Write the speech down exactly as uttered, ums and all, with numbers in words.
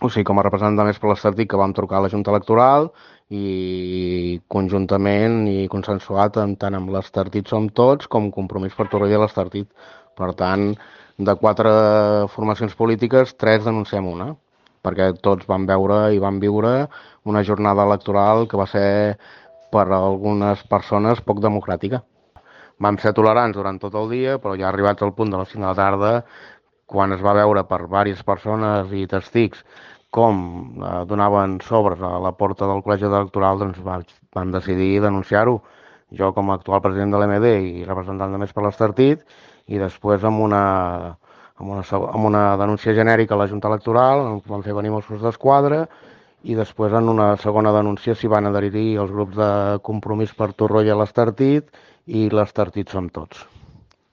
O sigui, com a representant més per l'Estartit, que vam trucar a la Junta Electoral i conjuntament i consensuat en, tant amb l'Estartit Som Tots com Compromís per Torroella i l'Estartit. Per tant, de quatre formacions polítiques, tres denunciem una, perquè tots vam veure i vam viure una jornada electoral que va ser per a algunes persones poc democràtica. Vam ser tolerants durant tot el dia, però ja arribats al punt de les cinc de la tarda, quan es va veure per diverses persones i testigs com eh, donaven sobres a la porta del col·legi electoral, doncs va, vam decidir denunciar-ho. Jo com a actual president de l'M D i representant de Més per l'Estartit, i després amb una, amb una, amb una denúncia genèrica a la Junta Electoral, on van fer venir Mossos d'Esquadra, i després en una segona denúncia s'hi van adherir els grups de Compromís per Torroella i l'Estartit i l'Estartit Som Tots.